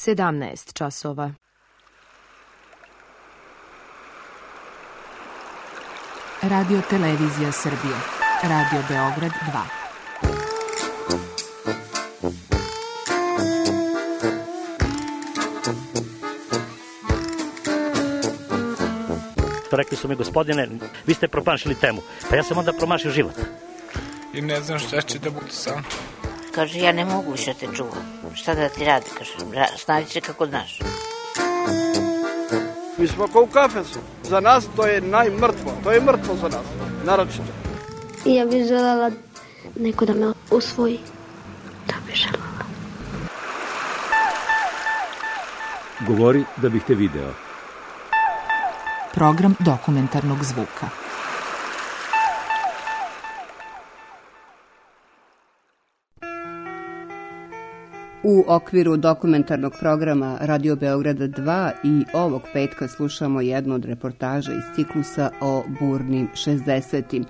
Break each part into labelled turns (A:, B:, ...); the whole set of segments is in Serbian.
A: 17 časova.
B: Radio Televizija Srbije. Radio Beograd 2.
C: Rekli su mi, gospodine, vi ste promašili temu. Pa ja sam onda promašio život.
D: I ne znam šta će da bude sam.
E: Kaže, ja ne mogu više te čuvam. Šta da ti radi, kaže, snađi se kako znaš.
F: Mi smo kao u kafesu. Za nas to je najmrtvo. To je mrtvo za nas, naročito.
G: I ja bih želela neko da me usvoji. Da bih želela.
H: Govori da bih te video.
B: Program dokumentarnog zvuka.
I: U okviru dokumentarnog programa Radio Beograda 2 i ovog petka slušamo jednu od reportaža iz ciklusa o burnim 60-im,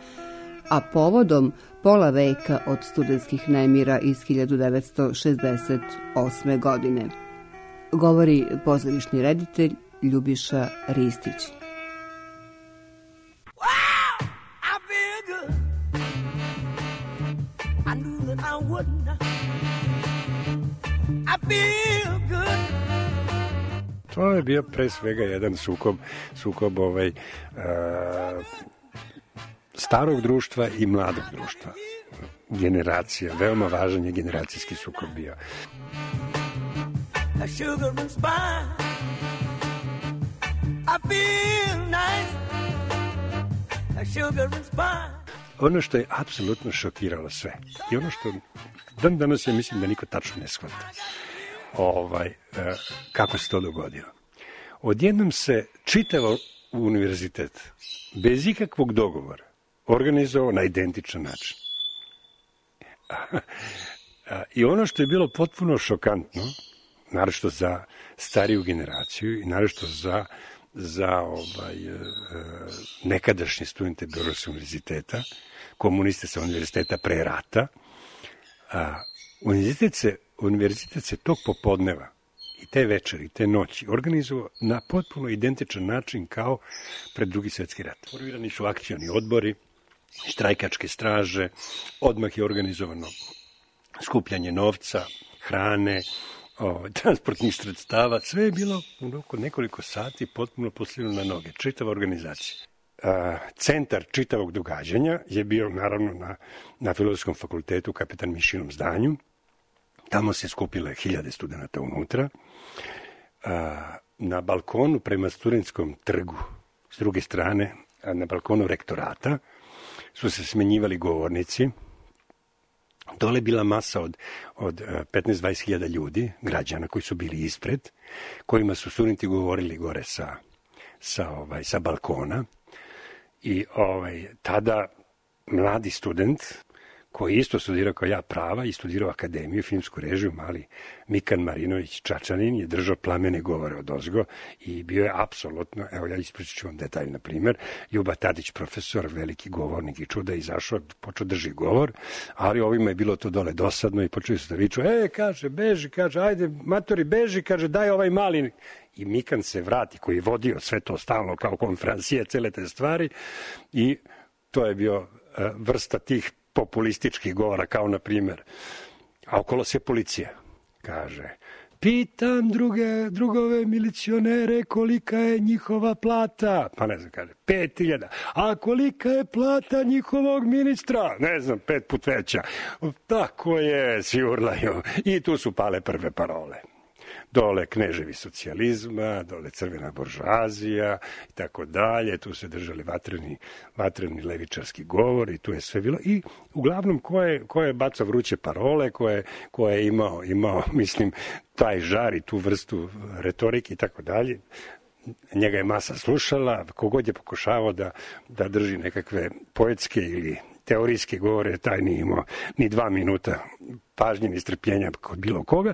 I: a povodom pola veka od studentskih nemira iz 1968. godine. Govori pozorišni reditelj Ljubiša Ristić.
J: To je bio pre svega jedan sukob starog društva i mladog društva. Generacija, veoma važan je generacijski sukob bio. Ono što je apsolutno šokiralo sve i ono što dan danas ja mislim da niko tačno ne shvata kako se to dogodilo. Odjednom se čitavo univerzitet bez ikakvog dogovora organizovao na identičan način. I ono što je bilo potpuno šokantno, naročito za stariju generaciju i naročito za nekadašnje studente Beogradskog univerziteta, komuniste sa univerziteta pre rata, univerzitet se tog popodneva i te večeri, i te noći organizovao na potpuno identičan način kao pred Drugi svjetski rat. Formirani su akcioni odbori, štrajkačke straže, odmah je organizovano skupljanje novca, hrane, transportnih sredstava, sve je bilo oko nekoliko sati potpuno postavljeno na noge, čitava organizacija. Centar čitavog događanja je bio naravno na Filozofskom fakultetu u Kapetan Mišinom zdanju. Tamo se skupile 1000 studenta unutra. Na balkonu prema Studentskom trgu, s druge strane, na balkonu rektorata, su se smenjivali govornici. Dole je bila masa od 15-20 hiljada ljudi, građana koji su bili ispred, kojima su studenti govorili gore sa balkona. I tada mladi student, koji isto studirao kao ja prava i studirao akademiju, filmsku režiju, mali Mikan Marinović Čačanin, je držao plamene govore odozgo i bio je apsolutno, evo ja ispričat ću vam detalj, na primjer, Ljuba Tadić, profesor, veliki govornik i čuda, izašao, počeo drži govor, ali ovima je bilo to dole dosadno i počeli su da viču, kaže, beži, kaže, ajde, matori, beži, kaže, daj ovaj mali. I Mikan se vrati, koji je vodio sve to stalno kao konferencije, cele te stvari, i to je bio vrsta tih populističkih govora, kao na primjer, a okolo se policija, kaže, pitam drugove milicionere kolika je njihova plata, pa ne znam, kaže, 5000, a kolika je plata njihovog ministra, ne znam, 5 put veća, tako je, svi urlaju, i tu su pale prve parole. Dole kneževi socijalizma, dole crvena buržoazija i tako dalje, tu se držali vatreni levičarski govor i tu je sve bilo. I uglavnom ko je bacao vruće parole, ko je imao, mislim, taj žar i tu vrstu retorike i tako dalje, njega je masa slušala, kogod je pokušavao da drži nekakve poetske ili teorijske govore, taj nije imao ni 2 minuta pažnje ni strpljenja kod bilo koga.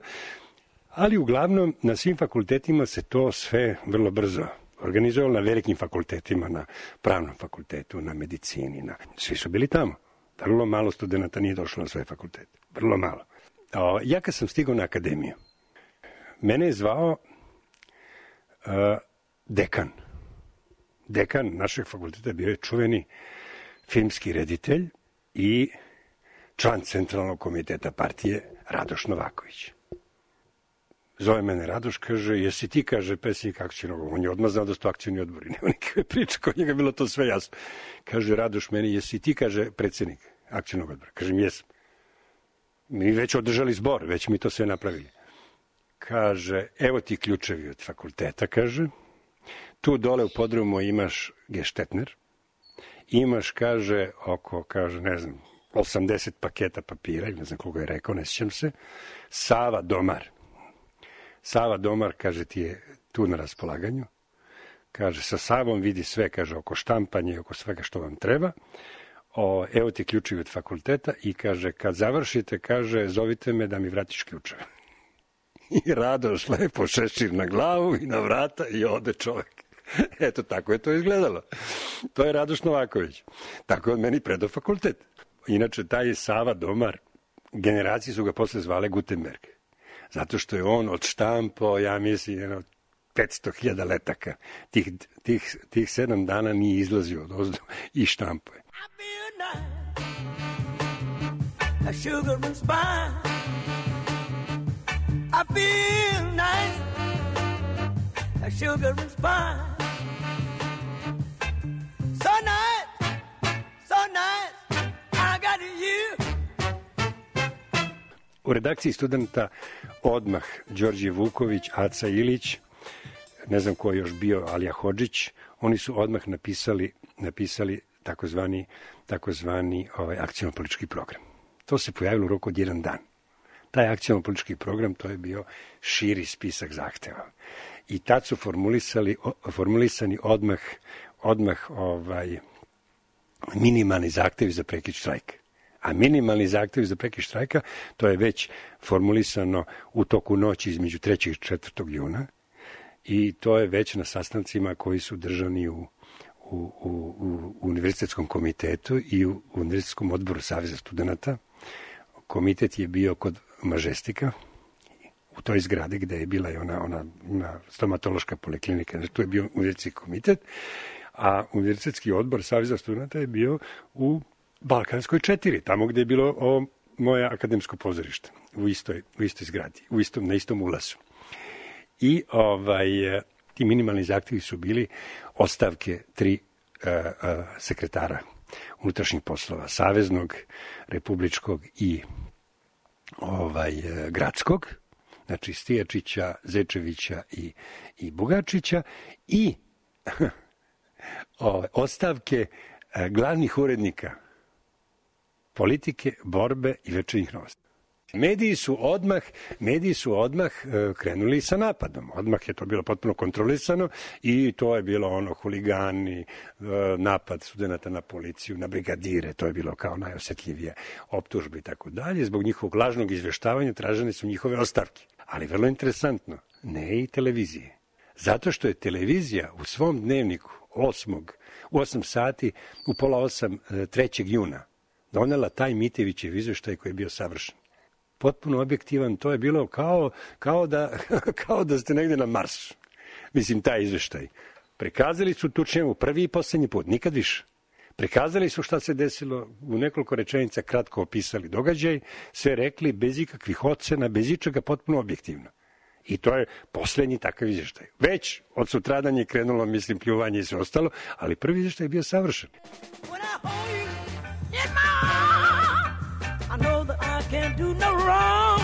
J: Ali uglavnom na svim fakultetima se to sve vrlo brzo organizovalo, na velikim fakultetima, na pravnom fakultetu, na medicini, svi su bili tamo. Vrlo malo studenta nije došlo na svoje fakultete, vrlo malo. Ja kad sam stigao na akademiju, mene je zvao dekan. Dekan našeg fakulteta bio je čuveni filmski reditelj i član Centralnog komiteta partije Radoš Novaković. Zove mene Radoš, kaže, jesi ti, kaže, predsjednik akcionog odbora. On je odmah znao da su to akcioni odbori. Nema nikakve priče, kod njega bilo to sve jasno. Kaže Radoš meni, jesi ti, kaže, predsjednik akcionog odbora. Kažem, jesam. Mi već održali zbor, već mi to sve napravili. Kaže, evo ti ključevi od fakulteta, kaže. Tu dole u podrumu imaš geštetner. Imaš, kaže, oko, kaže, ne znam, 80 paketa papira, ne znam koga je rekao, ne sjećam se. Sava Domar. Sava Domar, kaže, ti je tu na raspolaganju. Kaže, sa Savom vidi sve, kaže, oko štampanja i oko svega što vam treba. Evo ti ključevi od fakulteta i kaže, kad završite, kaže, zovite me da mi vratiš ključeve. I Radoš lepo šešir na glavu i na vrata i ode čovjek. Eto, tako je to izgledalo. To je Radoš Novaković. Tako je od meni predao fakultet. Inače, taj Sava Domar, generacije su ga posle zvale Gutenberg. Zato što je on odštampao, ja mislim, 500.000 letaka. Tih 7 dana nije izlazio od ozdu i štampao je. I feel nice, a sugar and spice. So nice, so nice, I got you. U redakciji Studenta odmah Đorđe Vuković, Aca Ilić, ne znam ko je još bio, Alija Hodžić, oni su odmah napisali takozvani akciono-politički program. To se pojavilo u roku od 1 dan. Taj akciono-politički program, to je bio širi spisak zahteva. I tad su formulisani odmah minimalni zahtevi za prekid štrajka. A minimalni zahtevi za prekid štrajka, to je već formulisano u toku noći između 3. i 4. juna i to je već na sastancima koji su držani u Univerzitetskom komitetu i u Univerzitetskom odboru Saveza studenata. Komitet je bio kod Mažestika, u toj zgradi gde je bila i ona stomatološka poliklinika. Znači, tu je bio univerzitetski komitet, a Univerzitetski odbor Saveza studenata je bio u Balkanskoj 4, tamo gde je bilo moje akademsko pozorište, u istoj zgradi, na istom ulazu. I ti minimalni zahtjevi su bili ostavke 3 sekretara unutrašnjih poslova, saveznog, republičkog i gradskog, znači Stijačića, Zečevića i Bugačića i ostavke glavnih urednika politike, borbe i večernjih novosti. Mediji su odmah krenuli sa napadom. Odmah je to bilo potpuno kontrolisano i to je bilo huligani, napad studenata na policiju, na brigadire, to je bilo kao najosjetljivije optužbe i tako dalje. Zbog njihovog lažnog izveštavanja tražene su njihove ostavke. Ali vrlo interesantno, ne i televizije. Zato što je televizija u svom dnevniku u 8 sati, u pola 8, 3. juna, donela taj Mitevićev izveštaj koji je bio savršen. Potpuno objektivan, to je bilo kao da ste negde na Marsu. Mislim, taj izveštaj. Prikazali su Tučnjavu prvi i posljednji put, nikad više. Prikazali su šta se desilo, u nekoliko rečenica kratko opisali događaj, sve rekli bez ikakvih ocena, bez ičega, potpuno objektivno. I to je posljednji takav izveštaj. Već od sutradan je krenulo, mislim, pljuvanje i sve ostalo, ali prvi izveštaj je bio savršen. Can't do no wrong,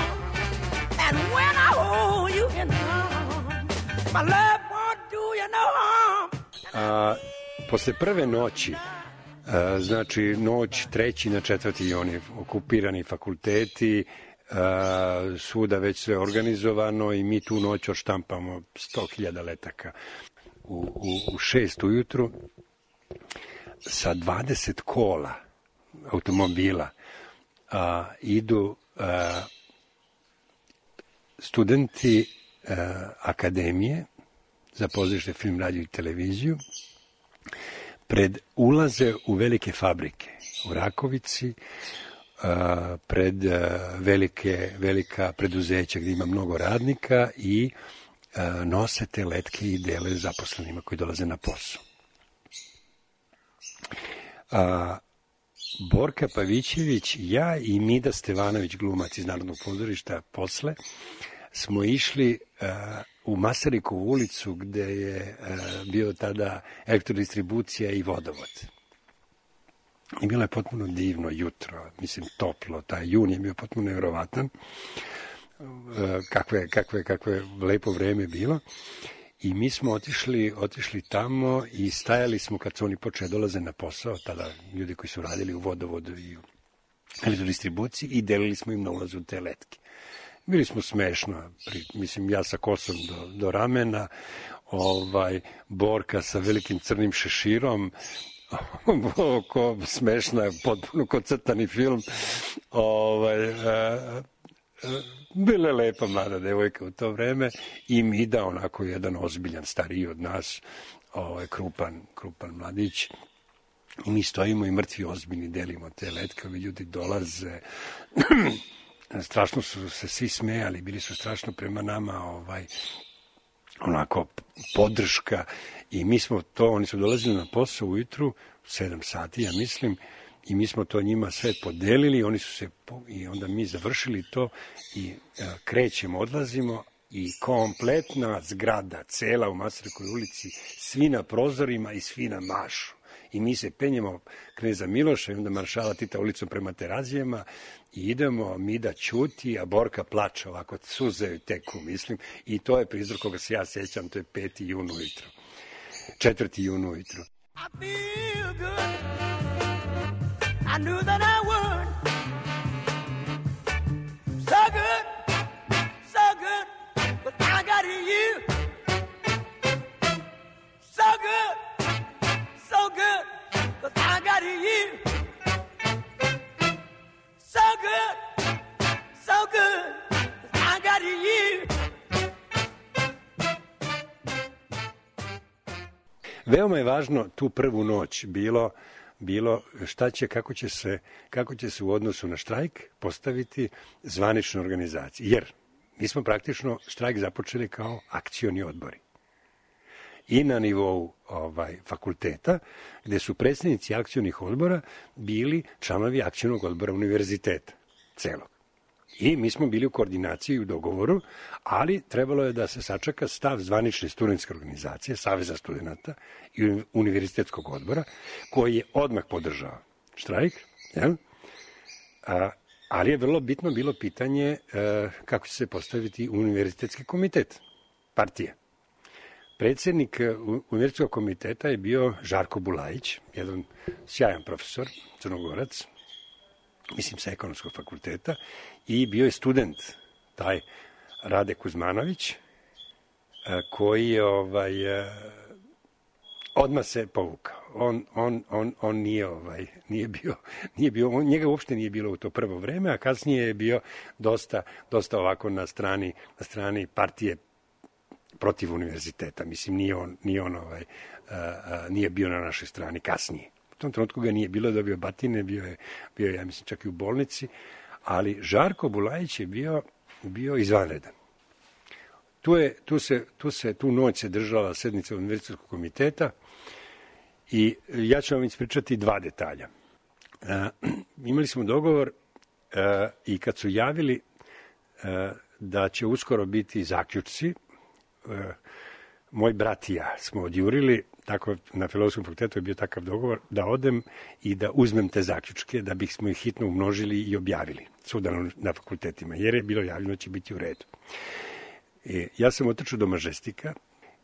J: and when I hold you in arms, my love won't do you no harm. Posle prve noći, znači noć 3. na 4. juni, okupirani fakulteti, svuda već sve organizovano i mi tu noć odštampamo 100.000 letaka. U 6 ujutru sa 20 kola automobila idu studenti akademije za pozorište, film, radio i televiziju, ulaze u velike fabrike u Rakovici, pred velika preduzeća gdje ima mnogo radnika i nose te letke i dele zaposlenima koji dolaze na posao. Borka Pavićević, ja i Mida Stevanović, glumac iz Narodnog pozorišta, posle smo išli u Masarikovu ulicu gde je bio tada elektrodistribucija i vodovod. I bilo je potpuno divno jutro, mislim toplo, taj jun je bio potpuno nevjerovatan, kakve lepo vreme bilo. I mi smo otišli tamo i stajali smo kad su oni počeli dolaze na posao, tada ljudi koji su radili u vodovodu i u elektrodistribuciji, i delili smo im na ulazu te letke. Bili smo smešno, mislim ja sa kosom do ramena, Borka sa velikim crnim šeširom, smešna, potpuno ko crtani film. Bila je lepa mlada devojka u to vreme i Mida, onako jedan ozbiljan, stariji od nas, krupan mladić. I mi stojimo i mrtvi ozbiljni delimo te letke, ovi ljudi dolaze. Strašno su se svi smejali, bili su strašno prema nama, onako podrška, i mi smo to, oni su dolazili na posao ujutru, 7 sati, ja mislim, i mi smo to njima sve podelili, oni su se, i onda mi završili to i krećemo, odlazimo, i kompletna zgrada, cela u Masarikovoj ulici, svi na prozorima i svi na mašu. I mi se penjemo Kneza Miloša i onda maršala Tita ulicom prema Terazijama i idemo, Mida ćuti, a Borka plače, ovako suze teku, mislim, i to je prizor koga se ja sjećam, to je 5. jun ujutro. 4. jun ujutro.
A: I feel good. I knew that I would. So good, but I got you. So good, but I got you. So good, but I got you.
J: Veoma je važno tu prvu noć bilo šta će, kako će se u odnosu na štrajk postaviti zvanična organizacija. Jer mi smo praktično štrajk započeli kao akcioni odbori. I na nivou fakulteta, gde su predstavnici akcionih odbora bili članovi akcionog odbora univerziteta celog. I mi smo bili u koordinaciji i u dogovoru, ali trebalo je da se sačeka stav zvanične studentske organizacije, Saveza studenata i univerzitetskog odbora, koji je odmah podržao štrajk, jel? Ali je vrlo bitno bilo pitanje kako će se postaviti univerzitetski komitet partije. Predsjednik univerzitetskog komiteta je bio Žarko Bulajić, jedan sjajan profesor, Crnogorac, mislim sa ekonomskog fakulteta, i bio je student, taj Rade Kuzmanović, koji je odmah se povukao. On nije bio, njega uopšte nije bilo u to prvo vreme, a kasnije je bio dosta ovako na strani partije protiv univerziteta. Mislim, nije bio na našoj strani kasnije. U tom trenutku ga nije bilo, dobio batine, bio je, ja mislim, čak i u bolnici, ali Žarko Bulajić je bio izvanredan. Tu noć se držala sednica univerzitetskog komiteta i ja ću vam ispričati 2 detalja. Imali smo dogovor i kad su javili da će uskoro biti zaključci, moj brat i ja smo odjurili, tako na Filozofskom fakultetu je bio takav dogovor, da odem i da uzmem te zaključke, da bismo ih hitno umnožili i objavili svuda na fakultetima, jer je bilo javljeno da će biti u redu. Ja sam otrčao do Mažestika,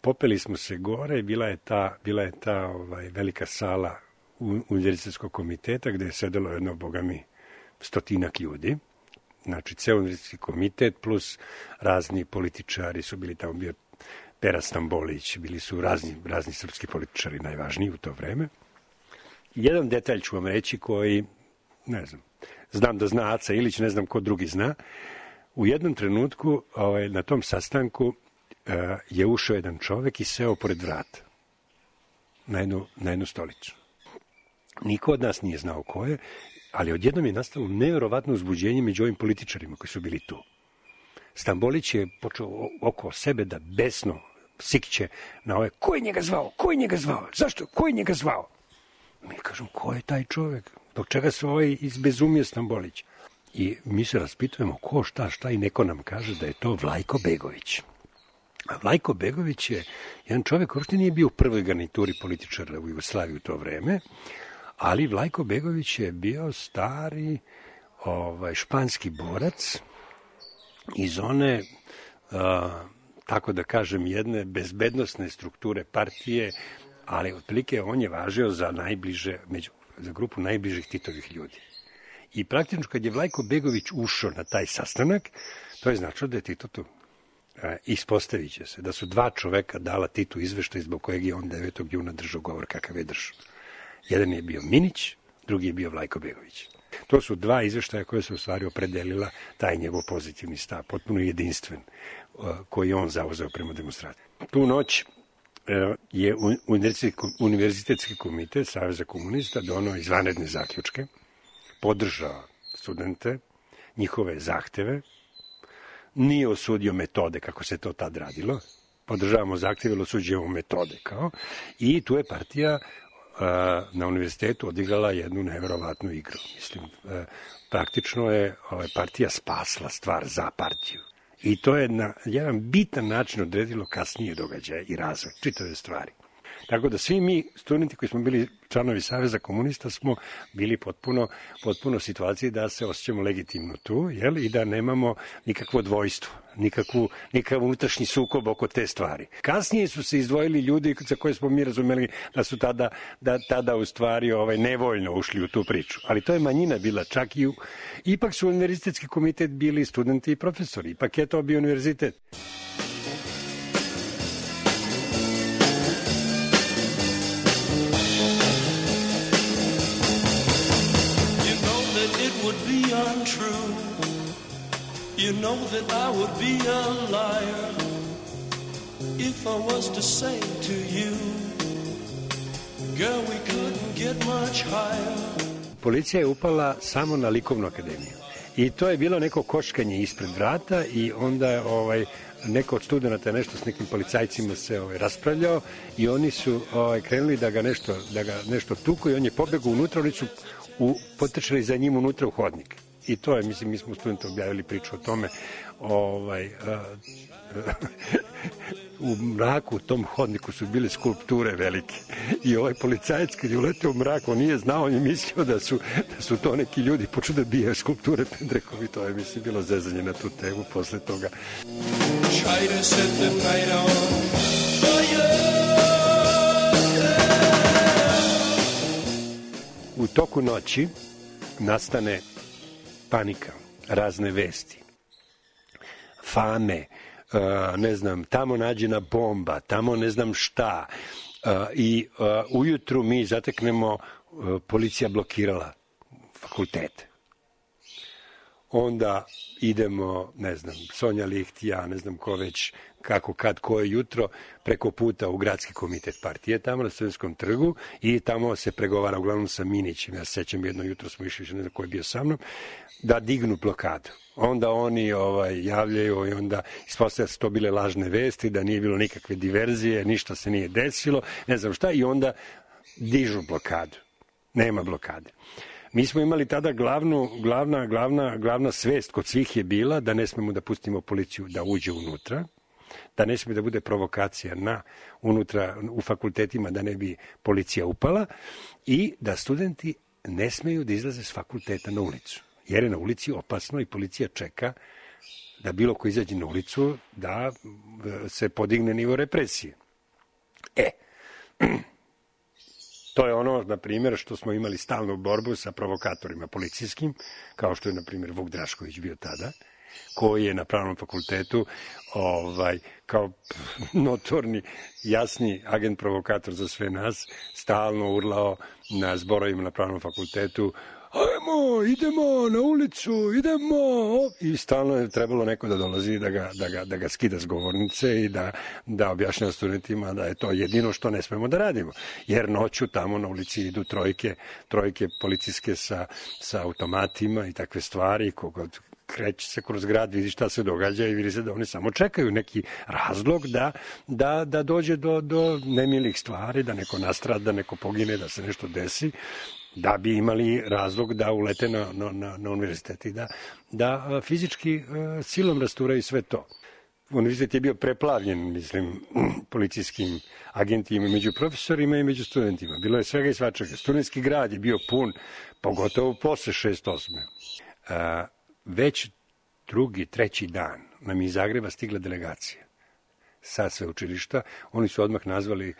J: popeli smo se gore, bila je ta velika sala univerzitetskog komiteta, gde je sedelo jedno, bogami, 100-ak ljudi. Znači, ceo univerzitetski komitet plus razni političari su bili tamo, bio Pera Stambolić, bili su razni srpski političari, najvažniji u to vreme. Jedan detalj ću vam reći koji, ne znam da zna Aca Ilić, ne znam ko drugi zna. U jednom trenutku na tom sastanku je ušao jedan čovek i seo pored vrata na jednu stolicu. Niko od nas nije znao ko je. Ali odjednom je nastalo nevjerovatno uzbuđenje među ovim političarima koji su bili tu. Stambolić je počeo oko sebe da besno sikće na ove, ko je njega zvao, zašto, ko je njega zvao? Mi kažem, ko je taj čovjek, dok čega se ovaj izbezumio Stambolić? I mi se raspitujemo ko, šta i neko nam kaže da je to Vlajko Begović. A Vlajko Begović je jedan čovjek koji uopšte nije bio u prvoj garnituri političara u Jugoslaviji u to vreme, ali Vlajko Begović je bio stari španski borac iz one, tako da kažem, jedne bezbednosne strukture partije, ali otprilike on je važio za grupu najbližih Titovih ljudi. I praktično kad je Vlajko Begović ušao na taj sastanak, to je značilo da je Tito tu. Ispostavit će se da su dva čoveka dala Titu izveštaj zbog kojeg je on 9. juna držao govor kakav je držao. Jedan je bio Minić, drugi je bio Vlajko Begović. To su dva izveštaja koje su u stvari opredelila taj njegov pozitivni stav, potpuno jedinstven, koji je on zauzeo prema demonstraciji. Tu noć je Univerzitetski komitet Saveza komunista donao izvanredne zaključke, podržao studente, njihove zahteve, nije osudio metode kako se to tad radilo, podržavamo zahtjeve, ali osuđujemo metode i tu je partija na univerzitetu odigrala jednu nevjerovatnu igru. Mislim, praktično je partija spasla stvar za partiju. I to je na jedan bitan način odredilo kasnije događaje i razvoj čitave stvari. Tako da svi mi, studenti koji smo bili članovi Saveza komunista, smo bili potpuno u situaciji da se osjećamo legitimno tu, i da nemamo nikakvo dvojstvo, nikakav unutrašnji sukob oko te stvari. Kasnije su se izdvojili ljudi za koje smo mi razumeli da su tada u stvari nevoljno ušli u tu priču. Ali to je manjina bila, čak ipak su univerzitetski komitet bili studenti i profesori, ipak je to bio univerzitet.
A: Untrue. You know that I would be a liar if I was to say to you, girl, we couldn't get much higher.
J: Policija je upala samo na likovnu akademiju. I to je bilo neko koškanje ispred vrata i onda je neko od studenata nešto s nekim policajcima se raspravljao i oni su krenuli da ga nešto tuku i on je pobegao unutra, oni su potrčali za njim unutra u hodnik. I to je, mislim, mi smo studenti objavili priču o tome, u mraku u tom hodniku su bile skulpture velike i ovaj policajac kad je uleteo u mrak, on nije znao, on je mislio da su to neki ljudi počeli da bijaju skulpture pendrekovi, to je, mislim, bilo zezanje na tu temu posle toga. U toku noći nastane panika, razne vesti, fame, ne znam, tamo nađena bomba, tamo ne znam šta. I ujutru mi zateknemo, policija blokirala fakultete. Onda idemo, ne znam, Sonja Licht, ja, ne znam ko već, kako, kad, koje jutro, preko puta u gradski komitet partije, tamo na Studentskom trgu i tamo se pregovara uglavnom sa Minićem. Ja se sećam, jedno jutro smo išli, ne znam ko je bio sa mnom, da dignu blokadu. Onda oni javljaju i onda ispostavlja se to bile lažne vesti, da nije bilo nikakve diverzije, ništa se nije desilo, ne znam šta, i onda dižu blokadu. Nema blokade. Mi smo imali tada glavna svest kod svih je bila da ne smemo da pustimo policiju da uđe unutra, da ne smije da bude provokacija unutra u fakultetima da ne bi policija upala i da studenti ne smeju da izlaze s fakulteta na ulicu, jer je na ulici opasno i policija čeka da bilo ko izađe na ulicu da se podigne nivo represije. To je ono, na primjer, što smo imali stalnu borbu sa provokatorima policijskim, kao što je, na primjer, Vuk Drašković bio tada, koji je na Pravnom fakultetu kao notorni, jasni agent provokator za sve nas, stalno urlao na zborovima na Pravnom fakultetu ajmo, idemo na ulicu, idemo. I stalno je trebalo neko da dolazi da ga skida s govornice i da objašnjava studentima da je to jedino što ne smemo da radimo. Jer noću tamo na ulici idu trojke policijske sa automatima i takve stvari, kogod kreće se kroz grad, vidi šta se događa i vidi se da oni samo čekaju neki razlog da dođe do nemilih stvari, da neko nastrada, da neko pogine, da se nešto desi, da bi imali razlog da ulete na univerzitet i da fizički silom rasturaju sve to. Univerzitet je bio preplavljen, mislim, policijskim agentima među profesorima i među studentima. Bilo je svega i svačega. Studentski grad je bio pun, pogotovo posle 6.8. Već drugi, treći dan nam iz Zagreba stigla delegacija sa sveučilišta. Oni su odmah nazvali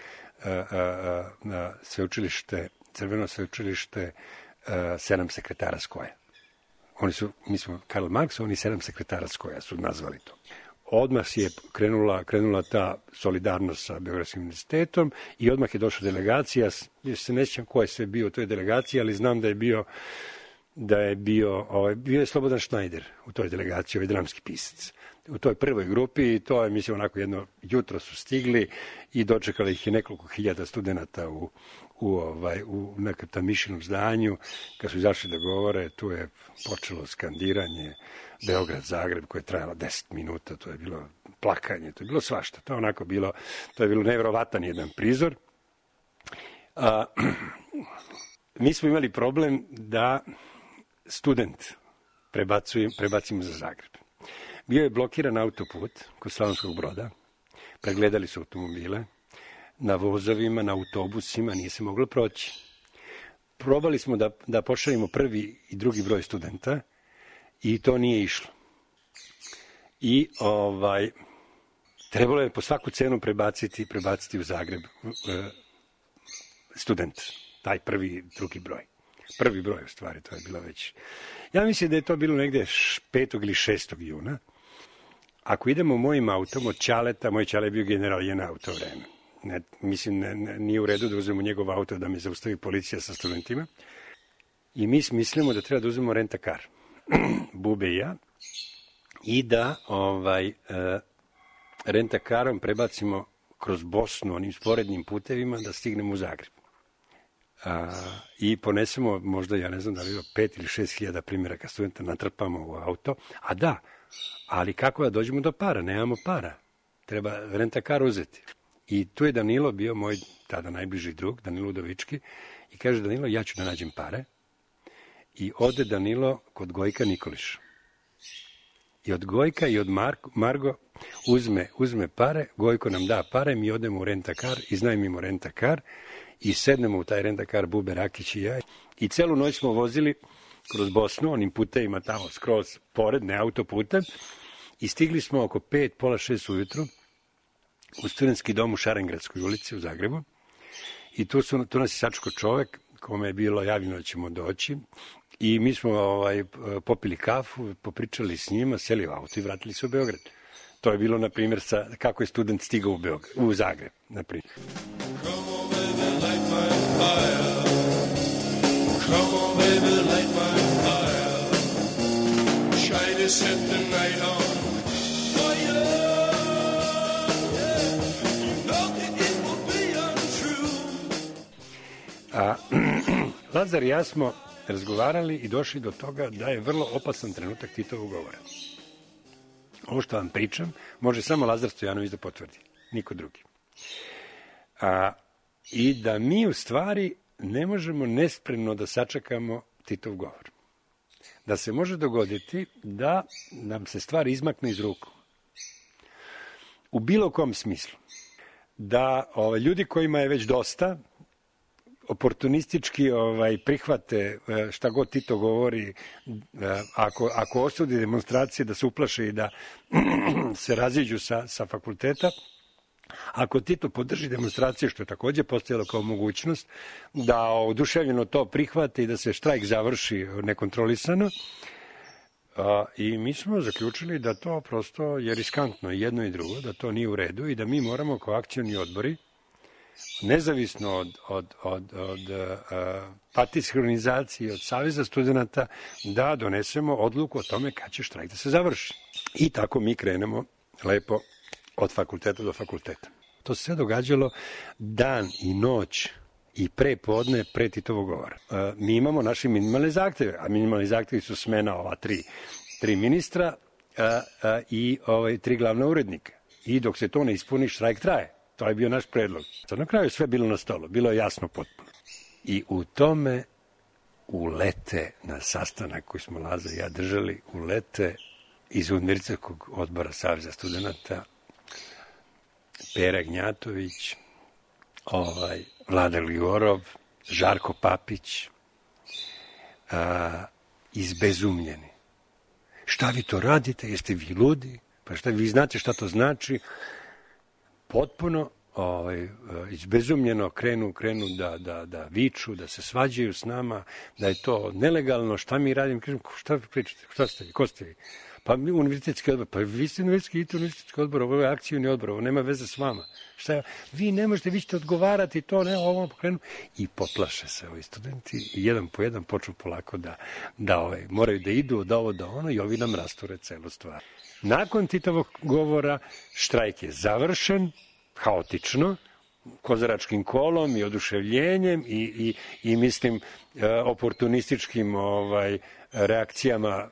J: sveučilište, Crveno sveučilište, 7 sekretara Skoja. Mi smo Karl Marx, oni 7 sekretara Skoja su nazvali to. Odmah je krenula ta solidarnost sa Beogradskim univerzitetom i odmah je došla delegacija. Ja se ne sjećam ko je sve bio u toj delegaciji, ali znam da je bio Slobodan Schneider u toj delegaciji, ovaj dramski pisac. U toj prvoj grupi i to je, mislim, onako jedno jutro su stigli i dočekali ih je nekoliko hiljada studenta u nekom tam mišljenom zdanju. Kad su izašli da govore, tu je počelo skandiranje Beograd, Zagreb, koje je trajalo 10 minuta, to je bilo plakanje, to je bilo svašta. To je bilo nevjerovatan jedan prizor. Mi smo imali problem da student prebacimo za Zagreb. Bio je blokiran autoput kod Slavonskog Broda, pregledali su automobile, na vozovima, na autobusima, nije se moglo proći. Probali smo da pošaljemo prvi i drugi broj studenta i to nije išlo. I trebalo je po svaku cenu prebaciti u Zagreb student, taj prvi i drugi broj. Prvi broj, u stvari, to je bilo već. Ja mislim da je to bilo negde 5. ili 6. juna. Ako idemo mojim autom od Ćaleta, moj Ćale je bio general JNA u to vreme. Nije u redu da uzmemo njegov auto da me zaustavi policija sa studentima. I mi mislimo da treba da uzmemo rentakar. Bube i ja. I da rentakarom prebacimo kroz Bosnu onim sporednim putevima da stignemo u Zagreb. I ponesemo možda, ja ne znam da li 5 ili 6 hiljada primjeraka studenta, natrpamo u auto. Ali kako da dođemo do para? Nemamo para. Treba rentakar uzeti. I tu je Danilo bio moj tada najbliži drug, Danilo Udovički, i kaže: Danilo, ja ću da nađem pare. I ode Danilo kod Gojka Nikoliša. I od Gojka i od Margo uzme pare, Gojko nam da pare, mi odemo u rentakar, iznajmimo rentakar i sednemo u taj rentakar, Bube, Rakić i ja. I celu noć smo vozili kroz Bosnu, onim putevima tamo skroz pored, ne autoputem, i stigli smo oko 5, pola 6 ujutru u studentski dom u Šarengradskoj ulici u Zagrebu. I tu nas je sačekao čovek kome je bilo javljeno da ćemo doći. I mi smo popili kafu, popričali s njima, seli u auto i vratili se u Beograd. To je bilo, na primjer, kako je student stigao u Zagreb, na primjer. Lazar i ja smo razgovarali i došli do toga da je vrlo opasan trenutak Titovog govora. Ovo što vam pričam može samo Lazar Stojanović da potvrdi, niko drugi. I da mi u stvari ne možemo nespremno da sačekamo Titov govor. Da se može dogoditi da nam se stvar izmakne iz ruku. U bilo kom smislu. Da ljudi kojima je već dosta oportunistički prihvate šta god Tito govori, ako osudi demonstracije, da se uplaše i da se raziđu sa fakulteta. Ako Tito podrži demonstracije, što je takođe postojalo kao mogućnost, da oduševljeno to prihvate i da se štrajk završi nekontrolisano. I mi smo zaključili da to prosto je riskantno, jedno i drugo, da to nije u redu i da mi moramo kao akcioni odbori nezavisno od partijske organizacije, od Saveza studenta, da donesemo odluku o tome kad će štrajk da se završi. I tako mi krenemo lepo od fakulteta do fakulteta. To se sve događalo dan i noć i pre podne, pre Titovog govora. Mi imamo naše minimalne zahteve, a minimalni zahtevi su smena ova tri ministra i 3 glavna urednika. I dok se to ne ispuni, štrajk traje. To je bio naš predlog. Sad na kraju sve bilo na stolu, bilo je jasno potpuno. I u tome ulete na sastanak koji smo Laza i ja držali, ulete iz Univerzitetskog odbora Saveza studenta Pera Gnjatović, Vlada Gligorov, Žarko Papić, izbezumljeni. Šta vi to radite? Jeste vi ludi? Pa šta vi znate šta to znači? Potpuno izbezumljeno krenu da viču, da se svađaju s nama, da je to nelegalno, šta mi radimo? Kažem, šta pričate? Šta ste vi? Ko ste vi? Pa mi univerzitetski odbor, pa vi ste univerzitetski odbor, ovo je akcijni odbor, ovo nema veze s vama. Šta, vi ne možete, vi ćete odgovarati to, ne, ovo pokrenu. I poplaše se ovi studenti i jedan po jedan počnu polako da moraju da idu od ovo do ono i ovi nam rasture celu stvar. Nakon Titovog govora štrajk je završen, haotično, kozaračkim kolom i oduševljenjem i mislim oportunističkim reakcijama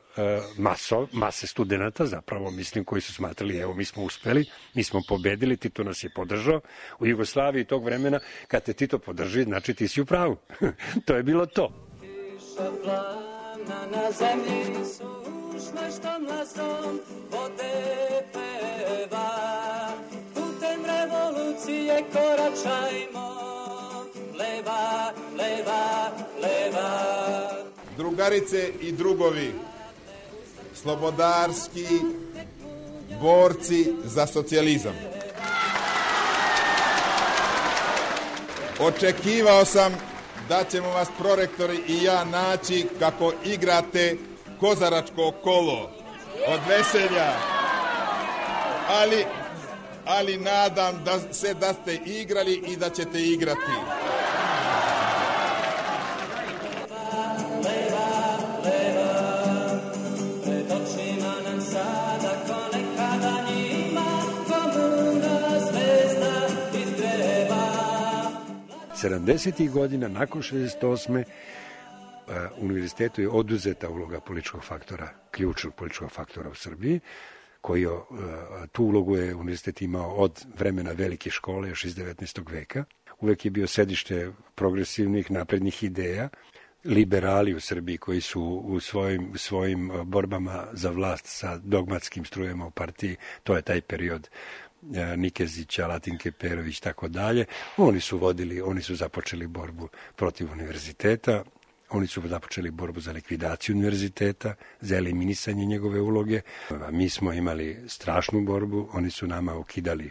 J: mase studenta, zapravo mislim koji su smatrali evo mi smo uspeli, mi smo pobedili, Tito nas je podržao. U Jugoslaviji tog vremena kad te Tito podrži, znači ti si u pravu. To je bilo to.
A: Kiša plavna na zemlji sušnoj što mlasom vode peva. Putem revolucije koračajmo, leva, leva, leva.
K: Drugarice i drugovi, slobodarski borci za socijalizam. Očekivao sam da ćemo vas prorektori i ja naći kako igrate kozaračko kolo od veselja, ali nadam da ste igrali i da ćete igrati.
A: Pred očima nam sada ko nekada njima komuna zvezda izgreva.
J: 70. godina, nakon 68. univerzitetu je oduzeta uloga političkog faktora, ključnog političkog faktora u Srbiji, koji tu ulogu je univerzitet imao od vremena velike škole, još iz 19. veka. Uvek je bio sedište progresivnih, naprednih ideja, liberali u Srbiji koji su u svojim borbama za vlast sa dogmatskim strujama u partiji, to je taj period Nikezića, Latinke Perović, tako dalje. Oni su započeli borbu protiv univerziteta, oni su započeli borbu za likvidaciju univerziteta, za eliminisanje njegove uloge. Mi smo imali strašnu borbu, oni su nama ukidali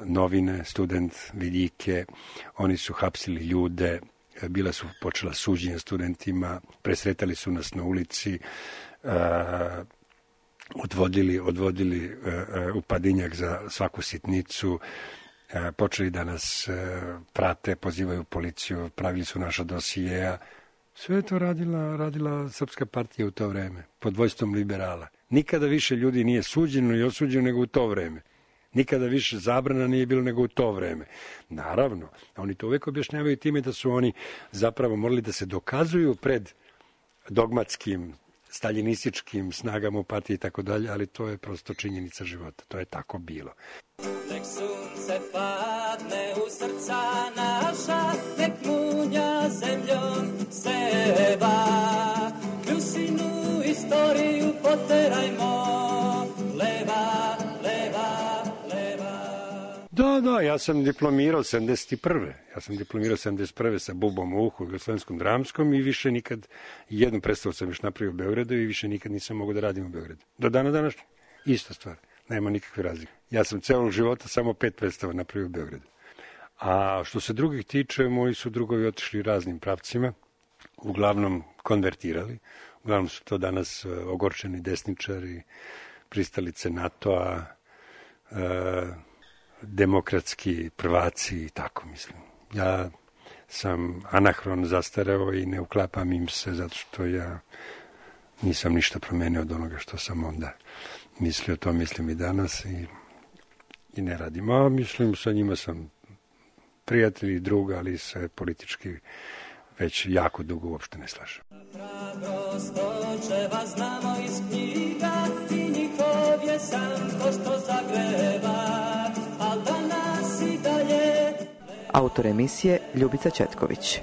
J: novine, student vidike, oni su hapsili ljude, bila su počela suđenja studentima, presretali su nas na ulici, odvodili u Padinjak za svaku sitnicu, počeli da nas prate, pozivaju policiju, pravili su naša dosijeja. Sve je to radila Srpska partija u to vreme, pod vojstvom liberala. Nikada više ljudi nije suđeno i osuđeno nego u to vreme. Nikada više zabrana nije bilo nego u to vreme. Naravno, oni to uvek objašnjavaju time da su oni zapravo morali da se dokazuju pred dogmatskim, staljinističkim snagama u partiji i tako dalje, ali to je prosto činjenica života. To je tako bilo.
A: Nek sunce padne u srca naša, nek munja zemljom seva. Kljusinu istoriju poterajmo, leva, leva, leva.
J: Da, ja sam diplomirao 71. Ja sam diplomirao 71. sa bubom u uhu u Jugoslavenskom dramskom i više nikad, jednu predstavu sam još napravio u Beogradu i više nikad nisam mogao da radim u Beogradu. Do dana današnje, ista stvar. Nema nikakve razlike. Ja sam celog života samo 5 predstava napravio u Beogradu. A što se drugih tiče, moji su drugovi otišli raznim pravcima, uglavnom konvertirali. Uglavnom su to danas ogorčeni desničari, pristalice NATO-a, demokratski prvaci i tako, mislim. Ja sam anahron, zastareo i ne uklapam im se zato što ja nisam ništa promenio od onoga što sam onda mislio, to mislim i danas i ne radim. A mislim, sa njima sam prijatelj i drug, ali se politički već jako dugo uopšte ne slažem.
A: Prostočeva znamo iz knjiga i njihov je san to što zagreva, al danas i dalje.
L: Autor emisije Ljubica Četković.